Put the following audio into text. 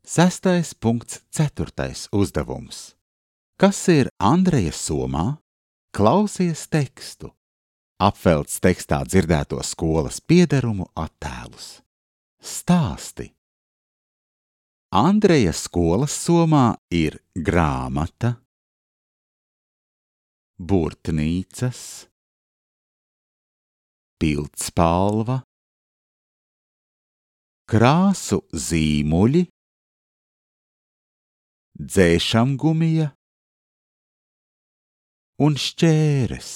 6.4. uzdevums. Kas ir Andreja somā? Klausies tekstu. Apvelc tekstā dzirdēto skolas piederumu attēlus. Stāsti. Andreja skolas somā ir grāmata, burtnīcas, pildspalva, krāsu zīmuļi, dzēšamgumija un šķēres.